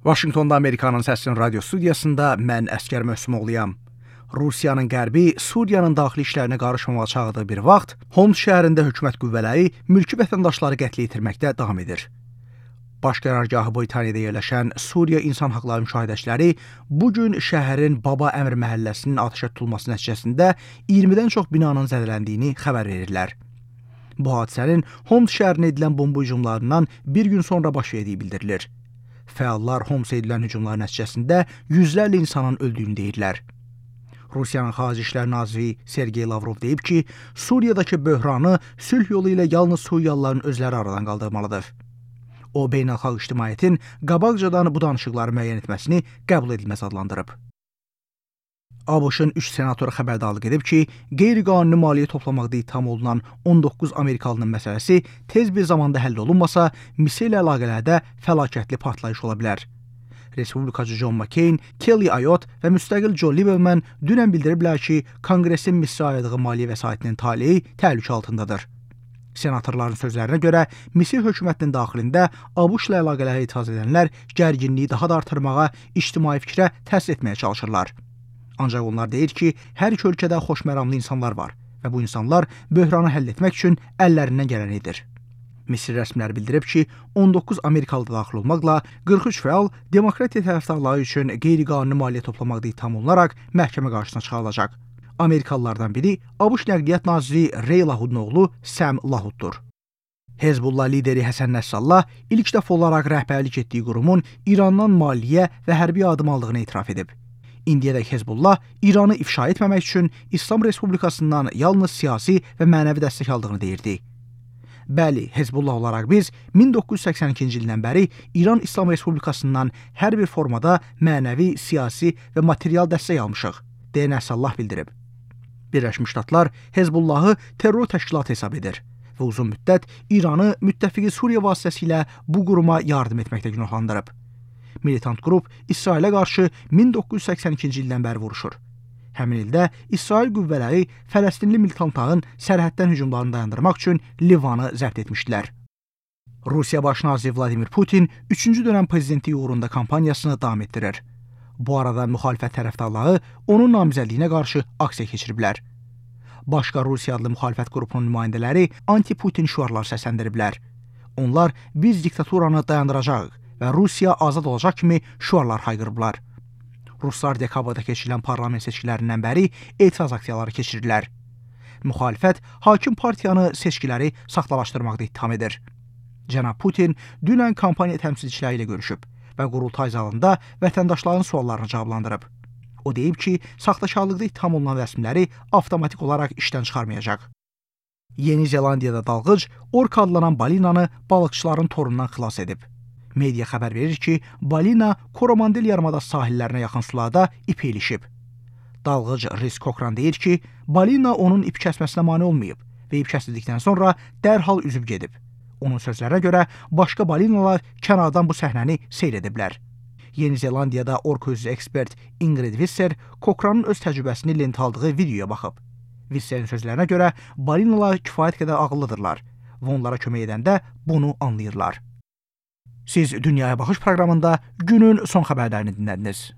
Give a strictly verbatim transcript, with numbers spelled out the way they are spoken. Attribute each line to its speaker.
Speaker 1: Vaşinqtonda Amerikanın Səsinin radio studiyasında mən Əskər Möhsümoğluyam. Rusiyanın qərbi Suriyanın daxili işlərinə qarışmamağa çağırdığı bir vaxt, Homs şəhərində hökumət qüvvələri mülki vətəndaşları qətlə yetirməkdə davam edir. Baş qərargahı Britaniyada yerləşən Suriya İnsan Haqları müşahidəçiləri bugün şəhərin Baba Əmr məhəlləsinin atəşə tutulması nəticəsində iyirmidən çox binanın zədələndiyini xəbər verirlər. Bu hadisənin Homs şəhərinə edilən bomba hücumlarından bir gün sonra baş verdiyi bildirilir. Fəallar Homsa edilən hücumlar nəticəsində yüzlərlə insanın öldüyünü deyirlər. Rusiyanın Xarici İşlər Naziri Sergey Lavrov deyib ki, Suriyadakı böhranı sülh yolu ilə yalnız Suriyalıların özləri aradan qaldırmalıdır. O, beynəlxalq ictimaiyyətin qabaqcadan bu danışıqları müəyyən etməsini qəbul edilməz adlandırıb. ABŞ-ın üç senatoru xəbərdarlıq edib ki, qeyri-qanuni maliyyə toplamaqda ittiham olunan on doqquz Amerikalının məsələsi tez bir zamanda həll olunmasa, Misir ilə əlaqələrdə fəlakətli partlayış ola bilər. Respublikacı John McCain, Kelly Ayotte və müstəqil Joe Lieberman dünən bildiriblər ki, Konqresin Misirə ayırdığı maliyyə vəsaitinin taleyi təhlükə altındadır. Senatorların sözlərinə görə, Misir hökumətinin daxilində ABŞ-la əlaqələrə etiraz edənlər gərginliyi daha da artırmağa, ictimai fikrə təsir etməyə çalışırlar. Ancaq onlar deyir ki, hər iki ölkədə xoşməramlı insanlar var və bu insanlar böhranı həll etmək üçün əllərindən gələni edir. Misir rəsmiləri bildirib ki, on doqquz Amerikalı daxil olmaqla qırx üç fəal demokratiya tərəfdarları üçün qeyri-qanuni maliyyə toplamaqda ittiham olunaraq məhkəmə qarşısına çıxarılacaq. Amerikalılardan biri ABŞ Nəqliyyat Naziri Ray Lahudun oğlu Sam Lahuddur. Hezbollah lideri Həsən Nəsrallah ilk dəfə olaraq rəhbərlik etdiyi qurumun İrandan maliyyə və hərbi yardım aldığını etiraf edib. İndiyədək Hezbollah İranı ifşa etməmək üçün İslam Respublikasından yalnız siyasi və mənəvi dəstək aldığını deyirdi. Bəli, Hezbollah olaraq biz min doqquz yüz səksən ikinci ildən bəri İran İslam Respublikasından hər bir formada mənəvi, siyasi və material dəstək almışıq, deyə Nəsrallah bildirib. Birləşmiş Ştatlar Hezbollahı terror təşkilatı hesab edir və uzun müddət İranı müttəfiqi Suriya vasitəsilə bu quruma yardım etməkdə günahlandırıb. Militant qrup İsrailə qarşı min doqquz yüz səksən ikinci ildən bəri vuruşur. Həmin ildə İsrail qüvvələri Fələstinli militantların sərhəddən hücumlarını dayandırmaq üçün Livanı zəbt etmişdilər. Rusiya Baş naziri Vladimir Putin üçüncü dönəm prezidentliyi uğrunda kampaniyasını davam etdirir. Bu arada müxalifət tərəfdarları onun namizədliyinə qarşı aksiya keçiriblər. Başqa Rusiya adlı müxalifət qrupunun nümayəndələri anti-Putin şüarlar səsləndiriblər. Onlar biz diktaturanı dayandıracağıq və Rusiya azad olacaq kimi şüarlar hayqırıblar. Ruslar dekabrda keçirilən parlament seçkilərindən bəri etiraz aksiyaları keçirirlər. Müxalifət hakim partiyanı seçkiləri saxtalaşdırmaqda ittiham edir. Cənab Putin dünən kampaniya təmsilçiləri ilə görüşüb və qurultay zalında vətəndaşların suallarını cavablandırıb. O deyib ki, saxtakarlıqda ittiham olunan rəsmiləri avtomatik olaraq işdən çıxarmayacaq. Yeni Zelandiyada dalğıc ork adlanan balinanı balıqçıların torundan xilas edib. Media xəbər verir ki, balina Koromandel yarımadası sahillərinə yaxın sularda ip ilişib. Dalğıc Riz Kokran deyir ki, balina onun ip kəsməsinə mane olmayıb və ip kəsildikdən sonra dərhal üzüb gedib. Onun sözlərinə görə başqa balinalar kənardan bu səhnəni seyr ediblər. Yeni Zelandiyada ork özü ekspert Ingrid Visser Kokranın öz təcrübəsini lentə aldığı videoya baxıb. Visserin sözlərinə görə balinalar kifayət qədər ağıllıdırlar və onlara kömək edəndə bunu anlayırlar. Siz Dünyaya Baxış proqramında günün son xəbərlərini dinlədiniz.